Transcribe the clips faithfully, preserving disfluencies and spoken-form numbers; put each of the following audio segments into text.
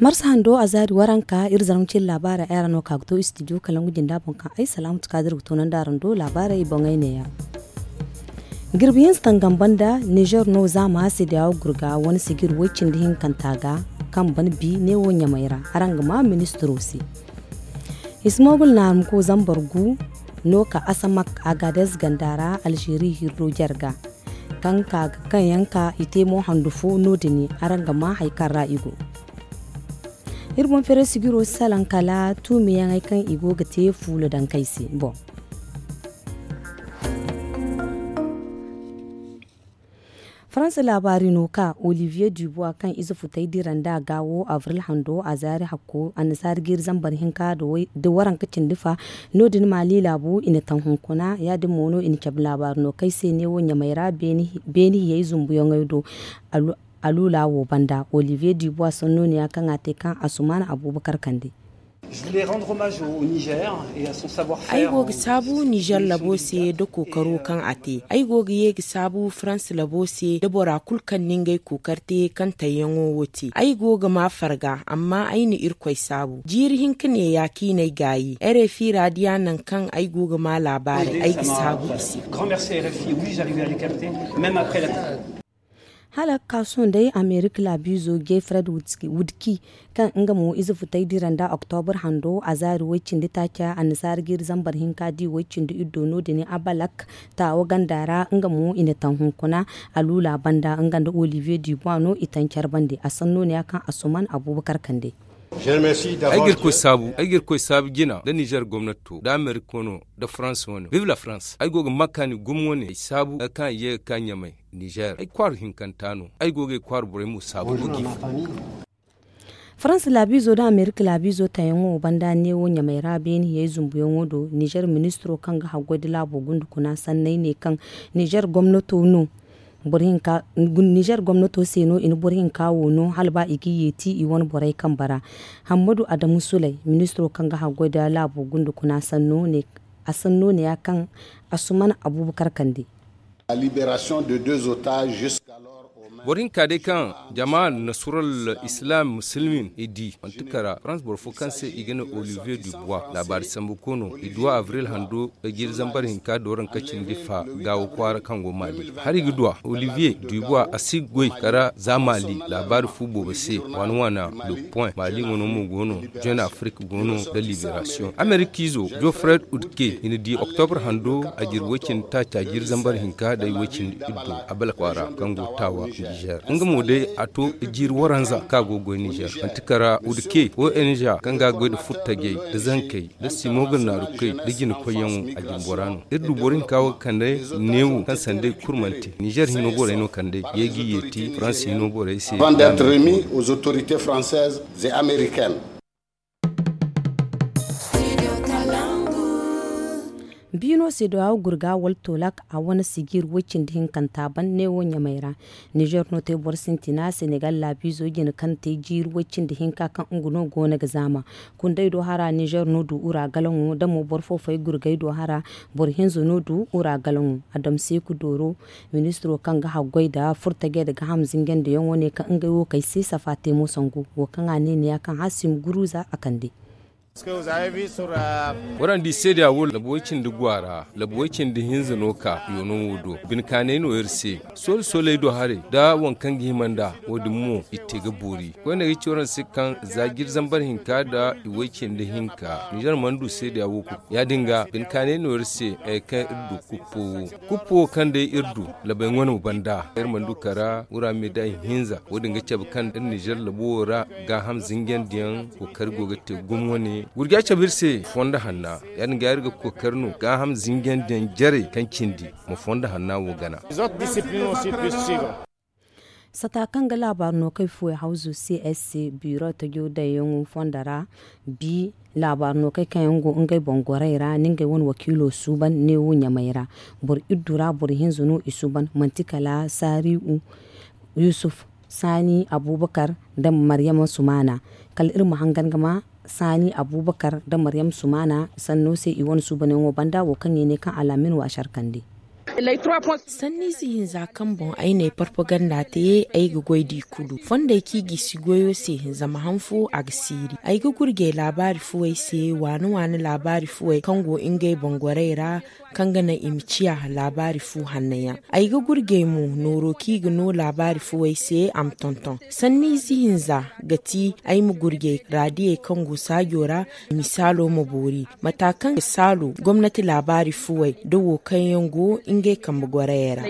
Marsa hando a zaari waranka iri zarma cine laabaarey ay ra no ka ga to istidiyo kalangu jinda boŋ kaŋ ay salaamatu kaadir ga toonandi araŋ do laabaarey boŋey neeya. Jirbi hinza tangam banda nizer no zaama seedeya wo gurga wane sijir woy cindi hinkanta ga kaŋ ban bi neewo ɲamey ra araŋ ga ma ministiro se. Ismogul naarumko zambar gu no ka asamak, agadez ganda ra alzeeri hirro jarga kaŋ ka ga kaŋ yaŋ ka i te mo handu fo no- din araŋ ga ma hari kaŋ ra i go. Iri boŋ feeray sijiro salaŋ kala tuumi yaŋey kaŋ i go ga te fuula daŋ kay se boŋ. Faransa laabaari no ka olivier dubois kaŋ ize futay dira nda a gaawo avril hando a zaari hakko annasaara jiiri zambar hinka nda waranka cindi fa. No- din maali laabu i na taŋ hunkuna ya- din mo no i na cabe laabaari no kay se neewo ɲamey ra beeni hiyey zumbuyaŋey do. Aluula wo banda olivier dubois sanno ne ya kaŋ a te kaŋ asuman abuubakar kande. Ay go ga saabu nizer labo se nda kookaro kaŋ a te. Ay go ga ye ga saabu faransa labo se nda bora kulu kaŋ na ngey kookari te kaŋ tayyaŋo wo te. Ay go ga ma farga amma ay na irkoy saabu jiiri hinka neeya kaŋ i n'ay gaayi rfi ra diya nangu kaŋ ay go ga ma laabaarey ay ga saabu i se. Hala ga ka sohõ day amerika laabiizo jay fred wudki kaŋ nga mo ize futay dira nda oktobur hando a zaari way-cindi taaca annasaara jiiri zambar hinka di way-cindi iddo no- din abalak taawa ganda ra nga mo i na taŋ hunkuna. Aluula banda nga nda olivier dubois no i taŋ care bande a sanno ne ya kaŋ asuman abuubakar kande. Ay ga irkoy saabu jina nda nizer gomnato nda amerika wano nda farans wane viv la farans ay go ga makani gumo wane ay saabu kaŋ ay ye ga ka ɲamay. Nizer ay kwaaru hinkanta no ay go ga ay kwaaru borey mo saabu. Farans laabiizo nda amerika laabiizo tayaŋo banda neewo ɲamay ra beene hiyey zumbuyaŋo do nizer ministiro kaŋ ga haggoy nda laabo gundukuna sanney ne kaŋ nizer gomnato no. Nizer gomnato se no i na boro hinka wo no hala ba i ga yeeti i wane borey kambe ra. Hammadu adamu suley ministiro kaŋ ga haggoy nda laabo gundukuna sanno ne a sanno ne ya kaŋ asuman abuubakar kande. Boro hinka day kaŋ jama nasural islam musulmin i di manti kara farans boro fo kaŋ se i ga ne olivier dubois laabaari sambu kono i duwa avril hando jiiri zambar hinka dooranka cindi fa gaawo kwaara kaŋ go maali hari ga duwa olivier dubois a si goy kara za maali laabaari fu boobo se waana waana le point maali wano mo go no jeune afrique go no nda liberation amerikiizo jofred udke i na di oktobur hando a jiri way-cindi taaca jiiri zambar hinka day way-cindi iddo abala kwaara kaŋ go taawa nizer nga mo day a to jiiri waranza kaŋ a go goy nizer manti kara udke ong kaŋ ga goy nda furtajey nda zankey nda simoga naarukey nda jinakoyyaŋo a jimbora no iri du boro hinka wo ga kande neewo kaŋ sandey kurmante nizer hino borey no kande ye ga yeeti farans hino borey se. Biino se do a gurga wala tolak a wane sijir way-cindi hinkanta ban neewo ɲamay ra. Nizer no te boro sintina senegal laabiizo jine kaŋ te jiiri way-cindi hinka kaŋ nga no go no ga zaama. Kunday do hara nizer no du ura galaŋo da mo boro fo fay gurgay do hara boro hinza no du ura galaŋo. Adamseeku dooro ministiro kaŋ ga haggoy nda furtajey nda gaham zinjandiyaŋo ne kaŋ ngey wo kay se safa te mo sangu wo kaŋ a ne neeya kaŋ haasim guruza a kande. Waraŋ di seedeya wo labu way-cindi gwa ra labu way-cindi hinza no ka yoono wo do. Bine kaanay no iri se sooli sooley do haray nda waŋ kaŋ ga hima nd'a. Wo- din mo i te ga boori koyne ga ci waraŋ se kaŋ za jiri zambar hinka nda i way-cindi hinka nizer mana du seedeya wo kulu ya- din ga bine kaanay no iri se. Kaŋ iri du kuppo wo kuppo wo kaŋ day iri du labay ŋwano banda iri mana du kara wura meeda i hinza wo- din ga cabe kaŋ iri nizer labo wo ra gaaham zinjandiyaŋ kookari go ga te gumo wane gurja cabe iri se fondo hanna ya- din ga iri ga kookari no gaaham zinjandiyaŋ jarey kaŋ cindi ma fondo hanna wo gana. Sata kaŋ ga laabaari no kay fuwey hawzu c s c biro tajo dayyaŋo fondo ra. Bi laabaari no kay kaŋ yaŋ go ngey boŋ gorey ra ni ngey wane wakiilo suuban neewo ɲamay ra. Boro iddu ra boro hinza no i suuban manti kala saari'u yusuf saani abuubakar nda maryama sumaana. Kala iri ma hangan ga ma saani abuubakar nda maryama sumaana sanno se i wane suubanyaŋo banda wo kaŋ i ne kaŋ alaamin waasar kande. Sanniize hinza kaŋ boŋ ay n'ay parpaganda te, ay ga goy d'i kulu fondey kaŋ i gisi goyo se. Zama han fo a ga siiri. Ay ga gurjey laabaari fuwey se, waani waani laabaari fuwey kaŋ go ngey boŋ gorey ra, kaŋ ga naŋ i ma ciya laabaari fu hanno yaŋ. Ay ga gurjey mo nooro kaŋ i ga no laabaari fuwey se, a ma tonton. Sanniize hinza ga ti ay ma gurjey raadiyey kaŋ go saajo ra, misaalo ma boori mata kaŋ ga saalu gomnati laabaari fuwey nda wo kaŋ yaŋ go ngey kambe gorayey ra.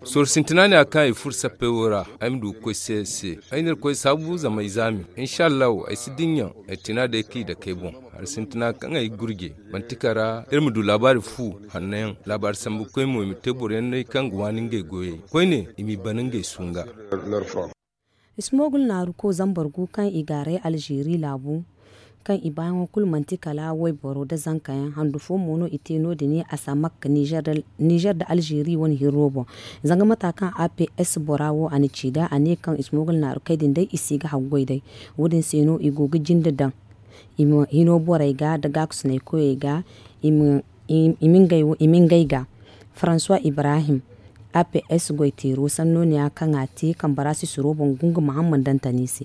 Sorro sintina ne a kaŋ i furo sappey wo ra. Ay ma du ga koy se se ay na irkoy saabu zama ay zaami. Insa allahu ay si dinya. Ay tina day kaŋ i dake ay boŋ hari sintina kaŋ ay ga gurje manti kara iri ma du laabaari fu hanno yaŋ. Laabaari sambu koy mo i ma te boro yaŋ no ay kaŋ ga waani ngey goyey koyne i m'i bana ngey sunga. Ismogul naaru ko zambar gu kaŋ i gaaray alzeeri laabu kaŋ i baayaŋo kulu manti kala wayboro nda zanka yaŋ handu fo mo no i te no- din i asamak nizer nda alzeeri wane hirro boŋ. Zanga mata kaŋ a p s bora wo a na ci nd'a a ne kaŋ ismogul naaru kay din day i si ga haggoy day. Wo- din se no i go ga jinde daŋ i ma hino borey ga nda gaakusunay koyey ga i ma ngey ga. Faransuwa ibrahim a p s goy teero sanno ne ya kaŋ a te kambara sisiro boŋ gungu mahamman dantani se.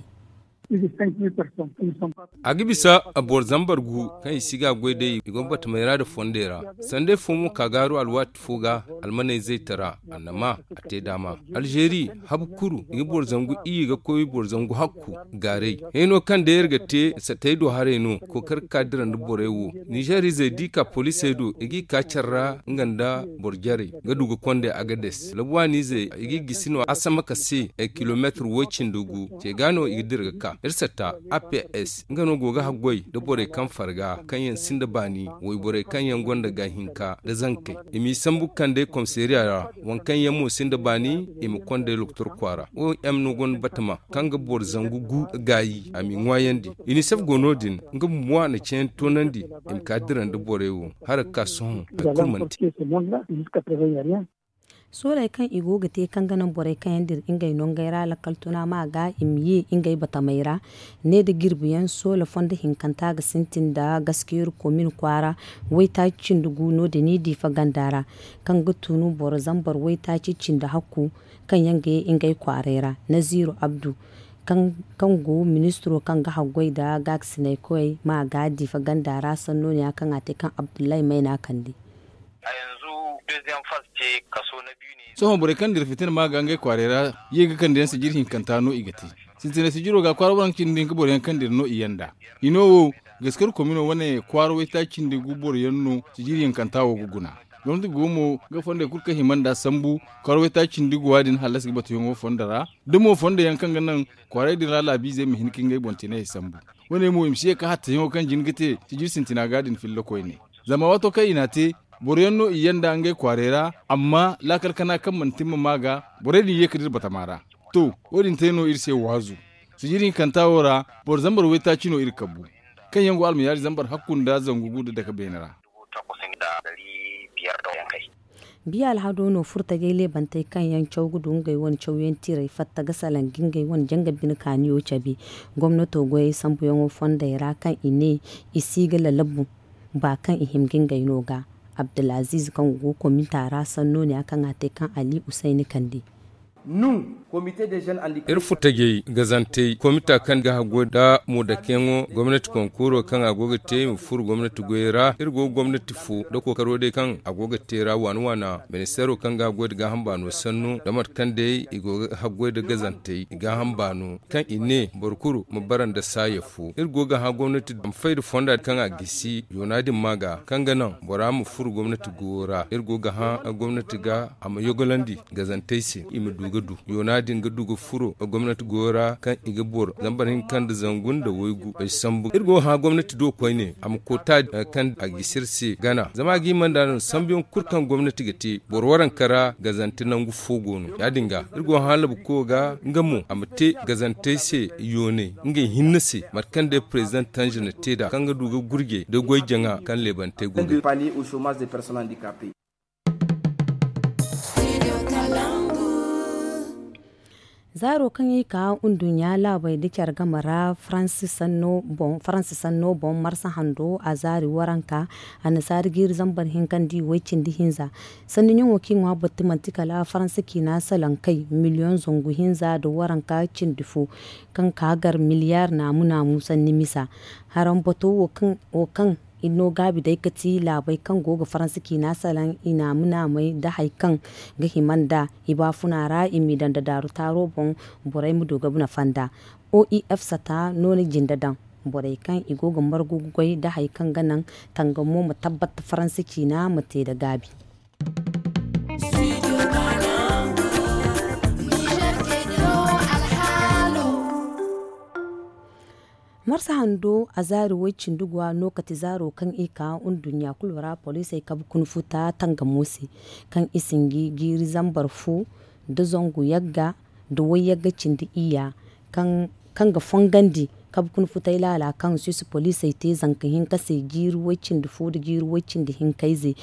A ga bisa boro zambar gu kaŋ i si ga a goy day i go batamey ra nda fondey ra. Sanday fo mo ka gaaru alwaati fo ga almaney zaytara annama a te daama. Alzeeri habu kuru i ga boro zangu iyye ga koy boro zangu hakku gaaray. Hayno kaŋ day iri ga te satay do haray no kookari ga ka dira nda borey wo. Nizeer izey da i ka poliisey do i g'i ka care ra nga nda boro jarey ga du ga konday agades labuwaani izey i g'i gisi no asamaka se. Kilomeetir woy cindi gu ce ga no i ga dira ga ka iri satta a p s nga no go ga haggoy nda borey kaŋ farga kaŋ yaŋ sinda baani wayborey kaŋ yaŋ gonda ga hinka nda zankey. I m'i sambu ga kande komisariya ra waŋ kaŋ yaŋ mo sinda baani i ma konday lokotor kwaara o m no gonda batama kaŋ ga boro zangu gu gaayi a m'i ŋwaayandi. Inisef go no- din nga bumbo a na ceeyaŋ toonandi i ma ka dira nda borey wo. Hala ga ka sohõ hari kulu mana te. Sooley kaŋ i go ga te kaŋ ga naŋ borey kaŋ yaŋ dira ngey nongey ra lakkal tuna ma ga i ma ye ngey batamey ra. Ne nda jirbi yaŋ soola fondo hinkanta ga sintin nda gaskiyar komin kwaara waytaaci cindi gu no- din i diifa ganda ra kaŋ ga tunu boro zambar waytaaci cindi hakku kaŋ yaŋ ga ye ngey kwaaray ra. Naziiru abdu kaŋ go ministiro kaŋ ga haggoy nda gaakasinay koyey ma ga diifa ganda ra sanno ne ya kaŋ a te kaŋ abdullahi mayna kande. Sohõ borey kaŋ dira fitina ma ga ngey kwaaray ra ye ga kande yaŋ sijiri hinkanta no i ga te. Sintinay sijiro ga kwaara waranka cindi hinka boro yaŋ kaŋ dira no i yanda. Hino wo gaskar komino wane kwaara waytaaci cindi gu boro yaŋ no sijiri hinkanta wo ga guna. Gomnati go mo ga fondey kulu kaŋ hima nd'a sambu kwaara waytaaci cindi guwa din hallasi ga batuyaŋo fondo ra. Da mo fondo yaŋ kaŋ ga naŋ kwaaray din ra laabiizey ma hin ka ngey boŋ tinay sambu. Wane mo i ma si ye ka hattayaŋo kaŋ jin ga te sijiri sintina ga din filla koyne. Zama waato kaŋ i n'a te boro yaŋ no i yanda ngey kwaaray ra. Amma laakal kana kaŋ mana timma ma ga borey din ye ka dira batama ra. To, wo- din te no iri se waazu. Sijiri hinkanta wo ra boro zambar waytaaci no iri kabu kaŋ yaŋ go almayaari zambar hakku nda zangu gu nda dake beene ra. Biya alhado no furtajey leebantey kaŋ yaŋ caw ga du ngey wane cawyaŋ tiray fatta ga salaŋ ga ngey wane janga bine kaaniyo cabe. Gomnato goyey sambuyaŋo fondey ra kaŋ i ne i si ga lalabu ba kaŋ i hima ga ngey no ga. Abdulaziz kaŋ go ga kominta ra sanno ne ya kaŋ a te kaŋ ali usayni kande. Iri furtajey gazantey komita kaŋ ga haggoy nda moodakeyaŋo gomnati konkooro kaŋ a go ga te i ma furo gomnati goyey ra iri go ga gomnati fo nda kookaro day kaŋ a go ga te ra waana waana. Ministeero kaŋ ga haggoy nda gaaham baano sannu nda mate kaŋ day i go ga haggoy nda gazantey i gaaham baano kaŋ i ne boro kulu ma bara nda saaya fo iri go ga hã gomnati a ma fay nda fonda kaŋ a gisi yoona din ma ga kaŋ ga naŋ bora ma furo gomnati goyo ra iri go ga hã gomnati ga a ma yogolandi gazantey se i ma du ga du yoona din ga du ga furo gomnati goyo ra kaŋ i ga boro zambar hinka nda zangu nda waygu ay sambu iri go ga hã gomnati do koyne a ma koota kaŋ a gisi iri se gana zama a ga hima nda no sambuyaŋ kulu kaŋ gomnati ga te boro waranka ra gazante nangu fo go no ya- din ga iri go ga hã labuko ga nga mo a ma te gazantey se yoonay ngey hinne se mate kaŋ day prezident tange na te nd'a kaŋ ga du ga gurjey da goy jaŋa kaŋ leebantey go ga. Zaaro kaŋ i ka nduɲɲa laabey nda care game ra faransi sanno boŋ marsa hando a zaari waranka annasaari jiiri zambar hinka nda i way cindi hinza. Sanni ɲaŋo kaŋ i ŋwa batti manti kala faransi ciina salaŋ kay miliyoŋ zangu hinza nda waranka cindi fo, kaŋ ka gar miliyaar naamu naamu sanni misa. Haraŋ bato wo kaŋ i no gaabi day ka ti laabey kaŋ go ga faransi ciina salaŋ i naamu naamey nda hari kaŋ ga hima nd'a i baafuna ra i m'i daŋ nda daaru taaro boŋ. Borey ma du ga nafa nd'a. O i f sata no na jinde daŋ borey kaŋ i go ga margu ga goy nda hari kaŋ ga naŋ tangamo ma tabbat faransi ciina ma te nda gaabi. Marsahan do a zaari way-cindi go a no kate zaaro kaŋ i ka nduɲɲa kulu ra poliisey kabe kuna futa tangamo se, kaŋ i sinji jiiri zambar fo nda zangu yagga nda way-yagga cindi iyya, kaŋ ga fongandi kabe kuna futay laala kaŋ suwisi poliisey te zanka hinka se jiiri way-cindi fo nda jiiri way-cindi hinka ize.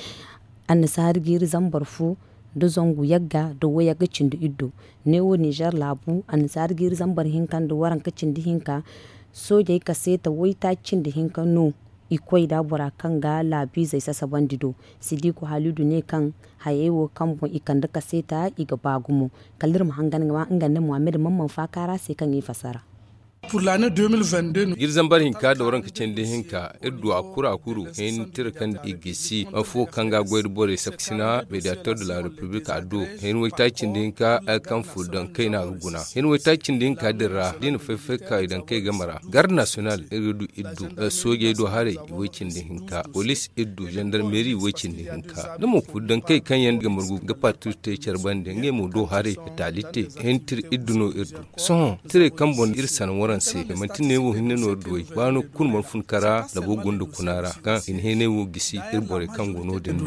Annasaari jiiri zambar fo nda zangu yagga nda way-yagga cindi iddo. Neewo nizer laabu annasaari jiiri zambar hinka nda waranka cindi hinka. Soojey kaseeta waytaaci cindi hinka no i koy nd'a bora kaŋ ga laabiizey sasabandi do. Sidiku halidu ne kaŋ hayey wo kaŋ boŋ i kande kaseeta i ga ba gumo. Kala iri ma hangan ga ma nga nda muhammad mamman faaka ra se kaŋ i fasara. Jiiri zambar hinka nda waranka cindi hinka iri du a kuru a kuru hini tira kaŋ i gisi afo kaŋ ga a goy nda borey saksina mediator de la republik a do. Hini waytaaci cindi hinka ay kaŋ furo daŋ kay no a ga guna hini waytaaci cindi hinka din ra da i na fay-fay ka i daŋ kay game ra garde nasiyonal iri ga du iri du soojey do haray i way-cindi hinka poliis iri du zandarmeeri way-cindi hinka da mo furo daŋ kay kaŋ yaŋ ga margu ga partir te care bande ngey mo do haray ga taali te. Hini tira iri du no iri du sohõ tirey kaŋ boŋ iri sanaŋ waranse manti ne wo hinne no iri du way ba no kulu mana fun kara labo gunda kuna ra kaŋ i na heeney wo gisi iri borey kaŋ go no- din do.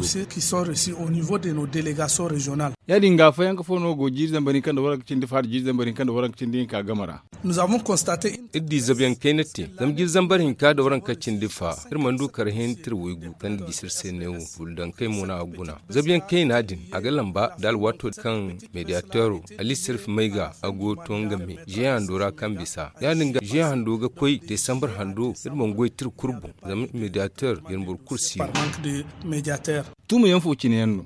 Ya- din ga fayanka fo no go jiiri zambar hinka nda waranka cindi fa nda jiiri zambar hinka nda waranka cindi hinka game ra. Iri di zabuyaŋ kayna te zama jiiri zambar hinka nda waranka cindi fa iri mana du kara heentir waygu kaŋ ga gisi iri se neewo furo daŋ kay mo no a ga guna. Zabuyaŋ kayna din a ga lamba nda alwaato kaŋ mediator ali sirfi may ga a go to nga me ziya hando ra kaŋ bisa ya- din ga ziya hando ga koy desambar hando iri mana goy tira kulu boŋ zama mediator iri boro kulu si no. Tuumayaŋ fo cine yaŋ no.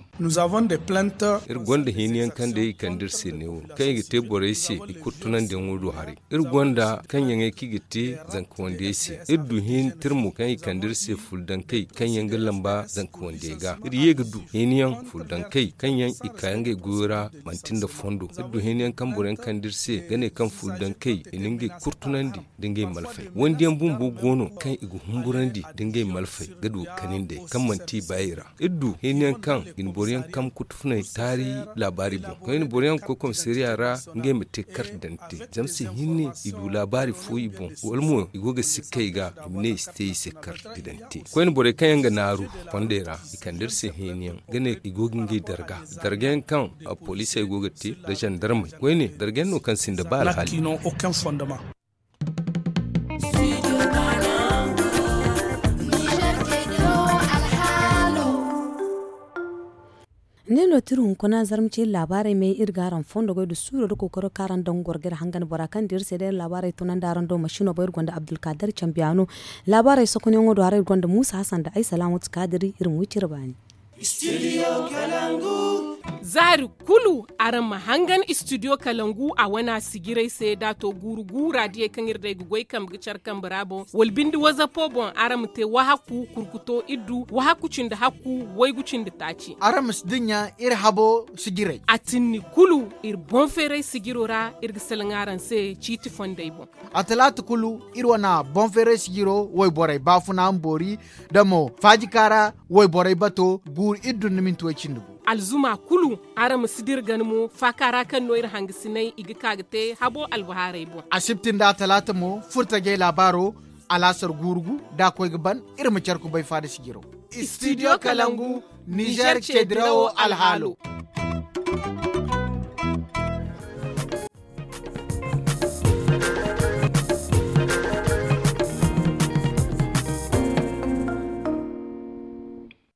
Iri gonda hini yaŋ kaŋ day i kande iri se neewo kaŋ i ga te borey se i kurtunandiyaŋo do haray. Iri gonda kaŋ yaŋey kaŋ i ga te zanka wandiyey se iri du hini tira mo kaŋ i kande iri se furo daŋ kay kaŋ yaŋ ga lamba zanka wandiyey ga iri ye ga du hini yaŋ furo daŋ kay kaŋ yaŋ i ka ngey goyo ra manti nda fondo iri du hini yaŋ kaŋ boro yaŋ kande iri se ga ne kaŋ furo daŋ kay i na ngey kurtunandi nda ngey malfey wandi yaŋ bumbo go no kaŋ i ga humburandi nda ngey malfey ga du ga kani nd'ey kaŋ manti i baayey ra. Iri du hini yaŋ kaŋ i na boro yaŋ kaŋ kutufunay taari laabaari boŋ koyne boro yaŋ ga koy komisariya ra ngey ma te karti daŋ te zama se hinne i du laabaari fo i boŋ wala mo i go ga sikka i ga i ma ne i si te i se karti daŋ te koyne borey kaŋ yaŋ ga naaru fondey ra i kande iri se hini yaŋ ga ne i go ga ngey darga darga yaŋ kaŋ poliisey go ga te nda zandarmey koyne darga yaŋ no kaŋ sinda ba alhaali. Ne no tira hunkuna zarma ce iri laabaarey may iri ga araŋ fondo goy nda suuro nda kookaro kaŋ araŋ daŋ goro ga iri hangan bora kaŋ dira se day iri laabaarey tunandi araŋ do masino boŋ iri gonda abdulkadir cambiyaano. Laabaarey sokonyaŋo do haray iri gonda muusa hasan nda ay salaamatu kaadiri iri ma wi cire baani. Zaari kulu araŋ ma hangan istidiyo kalangu a wane a sijirey se da a to guuru guura diyey kaŋ iri day ga goy kambe ga care kambe ra boŋ wala binde wazapo boŋ araŋ ma te wahakku kurkuto iddu wahakku cindi hakku waygu cindi taaci. Araŋ ma si dinya iri habo sijirey. A tinni kulu iri boŋ feeray sijiro ra iri ga salaŋ araŋ se ciiti fondey boŋ. A talaata kulu iri wane boŋ feeray sijiro wayborey baafuna ma boori da mo faajika ra wayborey bato guuru iri dun na minti way cindi gu. Alzuma kulu araŋ ma si dira gana mo faaka ra kaŋ no iri hangasinay i ga ka ga te habo albahaarey boŋ. Asibti nda talaata mo furtajey laabaaro alaasar guuru gu da a koy ga ban iri ma care kubay faada sijiro. Istidiyo kalangu nizer ce dirawo alhaalo.